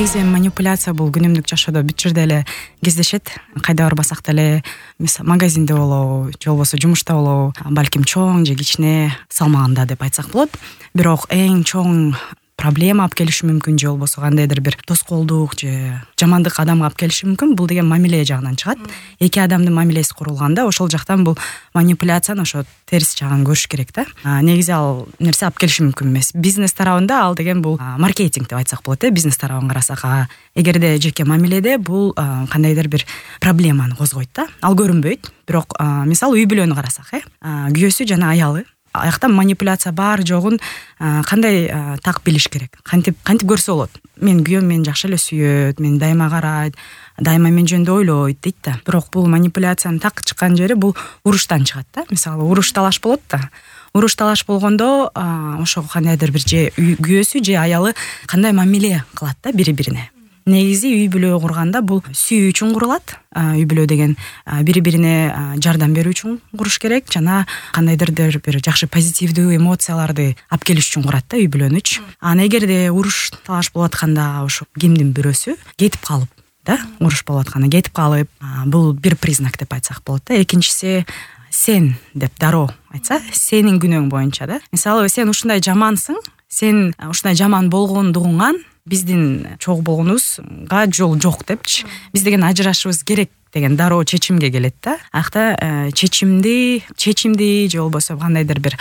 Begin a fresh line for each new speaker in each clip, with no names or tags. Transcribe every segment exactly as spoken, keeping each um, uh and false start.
негизи манипуляция бул күнүмдүк жашоодо бүт жерде эле кездешет. Кайда барбасак деле, мисалы магазинде болобу, же болбосо жумушта болобу, балким чоң же кичине салмагында деп айтсак болот. Бирок эң чоң проблема алып келиши мүмкүн, же болбосо кандайдыр бир тоскоолдук же жамандык адамга алып келиши мүмкүн. Бул деген мамиле жагынан чыгат. Эки адамдын мамилеси курулганда ошол жактан бул манипуляцияны ошо терс жагын көрүш керек да. Негизи ал нерсе алып келиши мүмкүн эмес. Бизнес тарабында ал деген бул маркетинг деп айтсак болот э, бизнес тарабын карасак. Эгерде жеке мамиледе бул кандайдыр бир проблеманы козгойт да. Ал көрүнбөйт. Бирок мисалы үй бүлөнү карасак э, күйөөсү жана аялы, аякта манипуляция бар жогун кандай так билиш керек, кантип кантип көрсө болот. Мен күйөөм мени жакшы эле сүйөт, мени дайыма карайт, дайыма мен жөнүндө ойлойт дейт да. Бирок бул манипуляциянын так чыккан жери бул уруштан чыгат да. Мисалы уруш талаш болот да. Уруш талаш болгондо ошо кандайдыр бир же күйөөсү же аялы кандай мамиле кылат да бири-бирине. Негизи үй бүлө курганда бул сүйүү үчүн курулат. Үй бүлө деген бири-бирине жардам берүү үчүн куруш керек жана кандайдыр бир жакшы позитивдүү эмоцияларды алып келиш үчүн курат да үй бүлөнүч. Аны эгерде уруш талаш болуп атканда ошо кимдин бирөөсү кетип калып да, уруш болуп атканда кетип калып, бул бир признак деп айтсак болот да. Экинчиси сен деп дароо айтса, сенин күнөөң боюнча да. Мисалы сен ушундай жамансың, сен ушундай жаман болгондугуңан биздин чогуу болгонубузга жол жок депчи, биз деген ажырашыбыз керек деген дароо чечимге келет да. Акта чечимди, чечимди же болбосо кандайдыр бир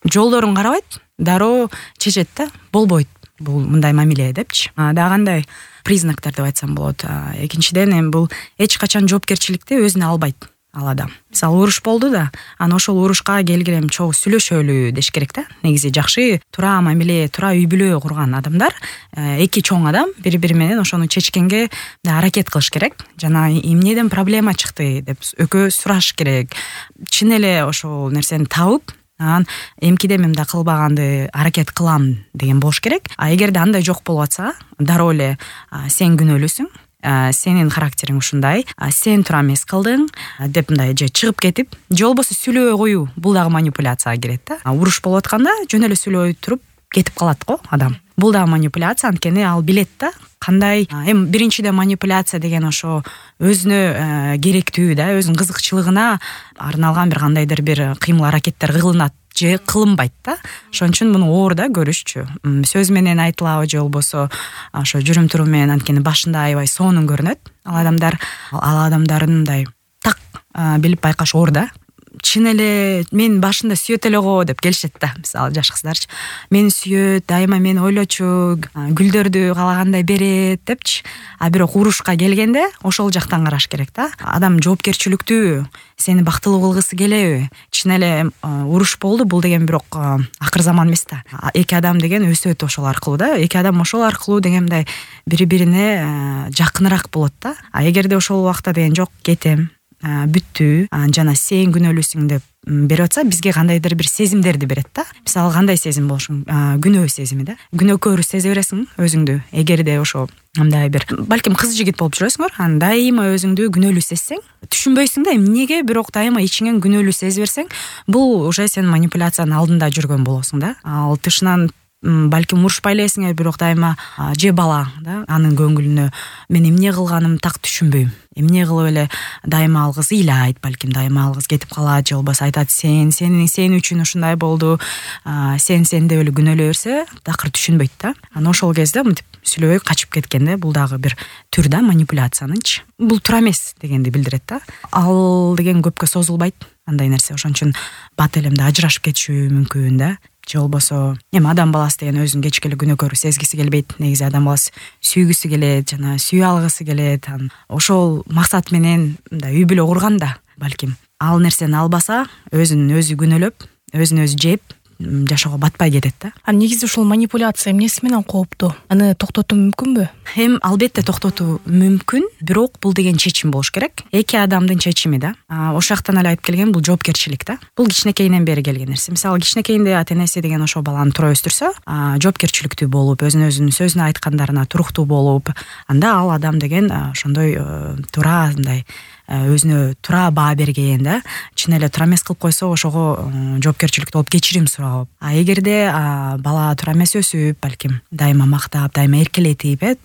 жолдорун карабайт, дароо чечет да. Болбойт бул мындай мамиле депчи. Дагы кандай признактар деп айтсам болот. Экинчиден эми бул эч качан жоопкерчиликти өзүнө албайт ал адам. Мисалы уруш болду да, анан ошол урушка келгиле чогуу сүйлөшөлү деш керек да. Негизи жакшы туура мамиле, туура үй бүлө курган адамдар, эки чоң адам бири-бири менен ошону чечкенге аракет кылыш керек. Жана эмнеден проблема чыкты деп экөө сураш керек. Чын эле ошол нерсени табып, анан эмкиде мындай кылбаганды аракет кылам деген болуш керек. А эгерде андай жок болуп атса, дароо эле сен күнөөлүүсүң, сенин характериң ушундай, сен туура эмес кылдың деп мындай же чыгып кетип, же болбосо сүйлөбөй коюу, бул дагы манипуляцияга кирет да. Уруш болуп атканда жөн эле сүйлөбөй туруп кетип калат го адам. Бул дагы манипуляция, анткени ал билет да кандай. Эми биринчиден манипуляция деген ошо өзүнө керектүү да, өзүнүн кызыкчылыгына арналган бир кандайдыр бир кыймыл аракеттер кылынат же кылынбайт да. Ошон үчүн муну оор да көрүшчү. Сөз менен айтылабы же болбосо ошо жүрүм турум менен, анткени башында аябай сонун көрүнөт ал адамдар. Ал адамдарын мындай так билип байкаш оор да. Чын эле мен башында сүйөт эле го деп келишет да. Мисалы жаш кыздарчы, мени сүйөт, дайыма мени ойлочу, гүлдөрдү каалагандай берет депчи. А бирок урушка келгенде ошол жактан караш керек да. Адам жоопкерчиликтүү, сени бактылуу кылгысы келеби? Чын эле уруш болду, бул деген бирок акыр заман эмес да. Эки адам деген өсөт ошол аркылуу да. Эки адам ошол аркылуу дегендай бири-бирине жакыныраак болот да. А эгерде ошол убакта деген жок, кетем, бүттү, жана сен күнөөлүүсүң деп берип атса, бизге кандайдыр бир сезимдерди берет да. Мисалы кандай сезим болушу мүмкүн? Күнөө сезими да. Күнөөкөр сезе бересиң өзүңдү. Эгерде ошо мындай бир балким кыз жигит болуп жүрөсүңөр, анан дайыма өзүңдү күнөөлүү сезсең, түшүнбөйсүң да эмнеге, бирок дайыма ичиңен күнөөлүү сезе берсең, бул уже сен манипуляциянын алдында жүргөн болосуң да. Ал тышынан балким урушпай элесиң, бирок дайыма же бала да, анын көңүлүнө мен эмне кылганым так түшүнбөйм. Эмне кылып эле дайыма ал кыз ыйлайт, балким дайыма ал кыз кетип калат, же болбосо айтат сен, сен сен үчүн ушундай болду, сен сен деп эле күнөөлөй берсе, такыр түшүнбөйт да. Анан ошол кезде мынтип сүйлөбөй качып кеткенде, бул дагы бир түр да манипуляциянынчы. Бул туура эмес дегенди билдирет да. Ал деген көпкө созулбайт андай нерсе. Ошон үчүн бат элемде ажырашып кетиши мүмкүн да. Же болбосо эми адам баласы деген өзүн кечке эле күнөөкөр сезгиси келбейт. Негизи адам баласы сүйгүсү келет, жана сүйө алгысы келет. Ошол максат менен мындай үй бүлө курганда балким ал нерсени албаса, өзүн өзү күнөөлөп, өзүн өзү жеп жашоого батпай кетет да.
А негизи ушул манипуляция эмнеси менен кооптуу? Аны токтотуу мүмкүнбү?
Эми албетте токтотуу мүмкүн, бирок бул деген чечим болуш керек. Эки адамдын чечими да. Ошол жактан эле айтып келген бул жоопкерчилик да. Бул кичинекейинен бери келген нерсе. Мисалы кичинекейинде ата-энеси деген ошол баланы туура өстүрсө, жоопкерчиликтүү болуп, өзүн өзүнүн сөзүнө айткандарына туруктуу болуп, анда ал адам деген ошондой туура мындай өзүнө туура баа берген да, чын эле туура эмес кылып койсо ошого жоопкерчиликтүү болуп кечирим сурап, а эгерде бала туура эмес өсүп, балким дайыма мактап, дайыма эркелетип, э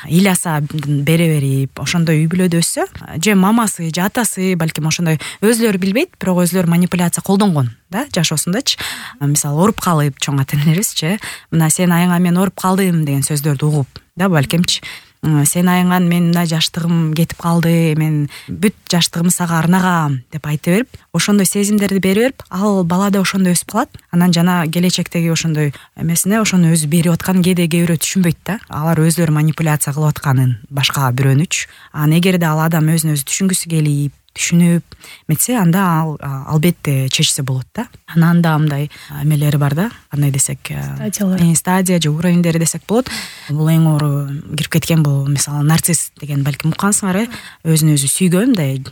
ыйласа бере берип, ошондой үй бүлөдө өссө, же мамасы же атасы балким ошондой өзүлөрү билбейт, бирок өзүлөрү манипуляция колдонгон да жашоосундачы. Мисалы ооруп калып, чоң ата энелерибизчи, мына сен айыңа мен ооруп калдым деген сөздөрдү угуп, да балкимчи, сен айыңан мен мына жаштыгым кетип калды, мен бүт жаштыгымды сага арнагам деп айтып берип, ошондой сезимдерди бере берип, ал бала да ошондой өсүп калат. Анан жана келечектеги ошондой эмесине ошону өзү берип атканын кээде кээ бирөө түшүнбөйт да. Алар өзүлөрү манипуляция кылып атканын башка бирөөнүчү. Анан эгерде ал адам өзүн өзү түшүнгүсү келип, түшүнүп метсе, анда ал албетте чечсе болот да. Анан да мындай эмелери бар да, кандай десек,
стадиялар,
стадия же уровеньдери десек болот. Бул эң оору кирип кеткен бул, мисалы нарцисс деген балким уккансыңар, э өзүн өзү сүйгөн, мындай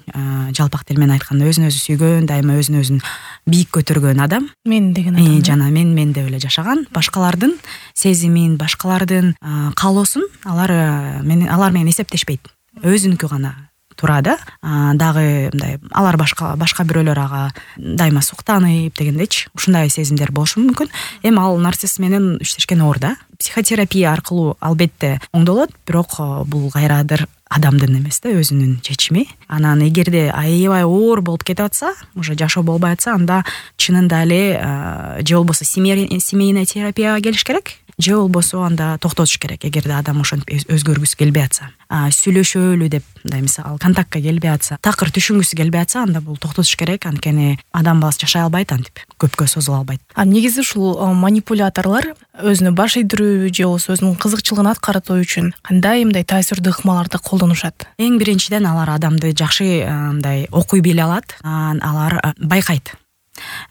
жалпак тил менен айтканда өзүн өзү сүйгөн, дайыма өзүн өзүн бийик көтөргөн адам.
Мен деген адам.
Жана мен мен деп эле жашаган, башкалардын сезимин, башкалардын каалоосун алар менен алар менен эсептешпейт. Өзүнүкү гана туура да. Дагы мындай алар башка башка бирөөлөр ага дайыма суктанып дегендейчи, ушундай сезимдер болушу мүмкүн. Эми ал нарцисс менен иштешкен оор да. Психотерапия аркылуу албетте оңдолот, бирок бул кайрадыр адамдын эмес да, өзүнүн чечими. Анан эгерде аябай оор болуп кетип атса, уже жашоо болбой атса, анда чынында эле же болбосо семейный терапияга келиш керек, же болбосо анда токтотуш керек. Эгерде адам ошентип өзгөргүсү келбей атса, сүйлөшөлү деп, мындай мисалы контактка келбей атса, такыр түшүнгүсү келбей атса, анда бул токтотуш керек. Анткени адам баласы жашай албайт, антип көпкө созула албайт.
А негизи ушул манипуляторлор өзүнө баш ийдирүү же болбосо өзүнүн кызыкчылыгын аткаруу үчүн кандай мындай таасирдүү ыкмаларды колдонушат?
Эң биринчиден алар адамды жакшы мындай окуй биле алат, алар байкайт.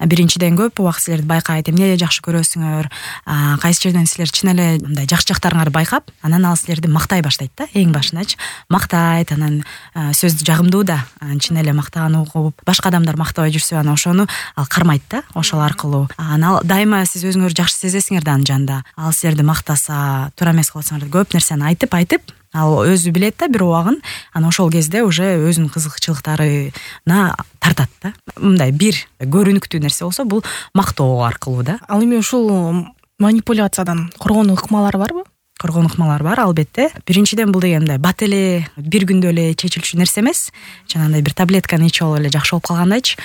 Биринчиден көп убакыт силерди байкайт, эмне жакшы көрөсүңөр, кайсы жерден силер чын эле мындай жакшы жактарыңарды байкап, анан ал силерди мактай баштайт да, эң башындачы. Мактайт, анан сөздү жагымдуу да, чын эле мактаган угуп, башка адамдар мактабай жүрсө, анан ошону ал кармайт да, ошол аркылуу. Анан дайыма сиз өзүңөрдү жакшы сезесиңер да анын жанында. Ал силерди мактаса, туура эмес кылып атсаңар көп нерсени айтып айтып, ал өзү билет да бир убагын, анан ошол кезде уже өзүнүн кызыкчылыктарына тартат да. Мындай бир көрүнүктүү нерсе болсо, бул мактоо аркылуу да.
Ал эми ушул манипуляциядан коргонуу ыкмалары барбы?
Коргонуу ыкмалары бар, албетте. Биринчиден бул деген мындай бат эле бир күндө эле чечилчү нерсе эмес. Жанагындай бир таблетканы ичип алып эле жакшы болуп калгандайчы.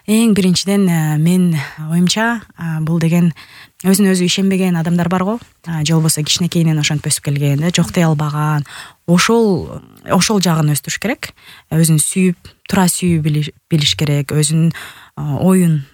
Эң биринчиден мен оюмча бул деген өзүнө өзү ишенбеген адамдар барго, же болбосо кичинекейинен ошентип өсүп келген, жок дей албаган, ошол ошол жагын өстүрүш керек. Өзүн сүйүп, туура сүйүп билиш керек, өзүнүн оюн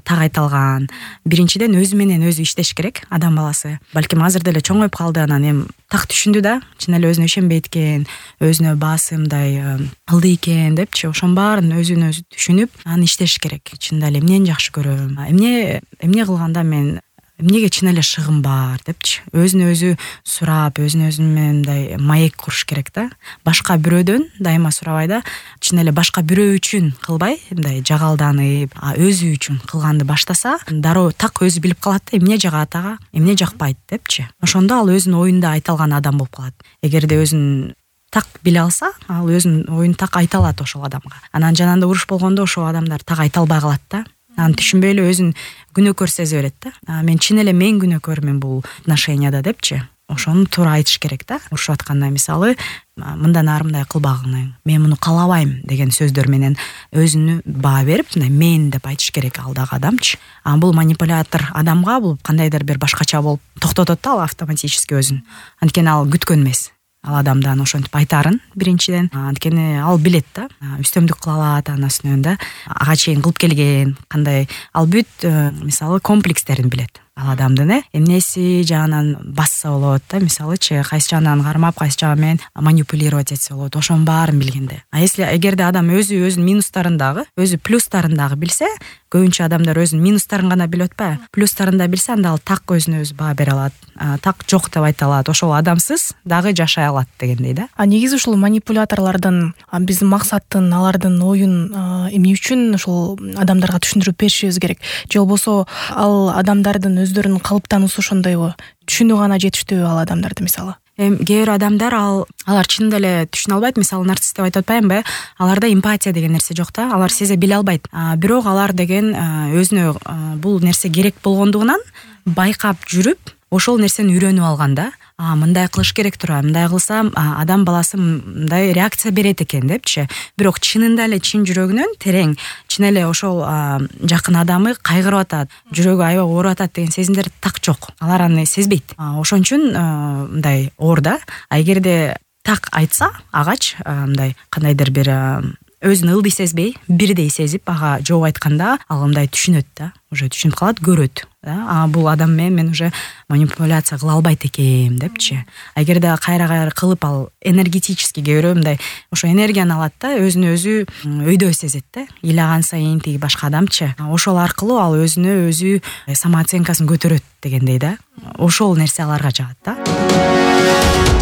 так айта алган. Биринчиден өзү менен өзү иштеш керек адам баласы. Балким азыр деле чоңоюп калды, анан эми так түшүндү да, чын эле өзүнө ишенбейт экен, өзүнө баасы мындай ылдый экен депчи, ошонун баарын өзүн өзү түшүнүп, анан иштеш керек. Чынында эле эмнени жакшы көрөм, эмне эмне кылганда мен эмнеге чын эле шыгым бар депчи, өзүн өзү сурап, өзүн өзү менен мындай маек куруш керек да. Башка бирөөдөн дайыма сурабай да, чын эле башка бирөө үчүн кылбай, мындай жагалданып, өзү үчүн кылганды баштаса, дароо так өзү билип калат да, эмне жагат ага, эмне жакпайт депчи. Ошондо ал өзүнүн оюнда айта алган адам болуп калат. Эгерде өзүн так биле алса, ал өзүнүн оюн так айта алат ошол адамга. Анан жанагында уруш болгондо ошол адамдар так айта албай калат да. Анан түшүнбөй эле өзүн күнөөкөр сезе берет да. Мен чын эле мен күнөөкөрмүн бул отношенияда депчи. Ошону туура айтыш керек да. Урушуп атканда мисалы, мындан ары мындай кылбагың, мен муну каалабайм деген сөздөр менен өзүнү баа берип, мындай мен деп айтыш керек ал дагы адамчы. А бул манипулятор адамга бул кандайдыр бир башкача болуп токтотот да, ал автоматически өзүн. Анткени ал күткөн эмес ал адамдан ошентип айтарын биринчиден. Анткени ал билет да, үстөмдүк кыла алат анын үстүнөн да, ага чейин кылып келген кандай ал бүт мисалы комплекстерин билет ал адамдын, э эмнеси жагынан басса болот да, мисалычы кайсы жагынан кармап, кайсы жагы менен манипулировать этсе болот, ошонун баарын билгенде. А если эгерде адам өзү өзүнүн минустарын дагы, өзү плюстарын дагы билсе, көбүнчө адамдар өзүнүн минустарын гана билип атпайбы, плюстарын да билсе, анда ал так өзүнө өзү баа бере алат, так жок деп айта алат, ошол адамсыз дагы жашай алат дегендей да.
А негизи ушул манипуляторлордун биздин максатын, алардын оюн эмне үчүн ушул адамдарга түшүндүрүп беришибиз керек? Же болбосо ал адамдардын өздөрүнүн калыптануусу ошондойбу? Түшүнүү гана жетиштүүбү ал адамдарды мисалы?
эми кээ бир адамдар ал алар чынында эле түшүнө албайт, мисалы нарцисс деп айтып атпаймынбы, аларда эмпатия деген нерсе жок да, алар сезе биле албайт. Бирок алар деген өзүнө бул нерсе керек болгондугунан байкап жүрүп ошол нерсени үйрөнүп алган да. А мындай кылыш керек тура, мындай кылсам адам баласы мындай реакция берет экен депчи. Бирок чынында эле чын жүрөгүнөн терең, чын эле ошол жакын адамы кайгырып атат, жүрөгү аябай ооруп атат деген сезимдер так жок. Алар аны сезбейт. Ошон үчүн мындай оор да. А эгерде так айтса агач мындай кандайдыр бир өзүн ылдый сезбей, бирдей сезип ага жооп айтканда ал мындай түшүнөт да, уже түшүнүп калат, көрөт. А бул адам менен мен уже манипуляция кыла албайт экенм депчи. Эгерде кайра-кайра кылып ал энергетически кээ бирөө мындай ошо энергияны алат да, өзүнө өзү өйдө сезет да. Ыйлаган сайын тиги башка адамчы. Ошол аркылуу ал өзүнө өзү самооценкасын көтөрөт дегендей да. Ошол нерсе аларга жагат да.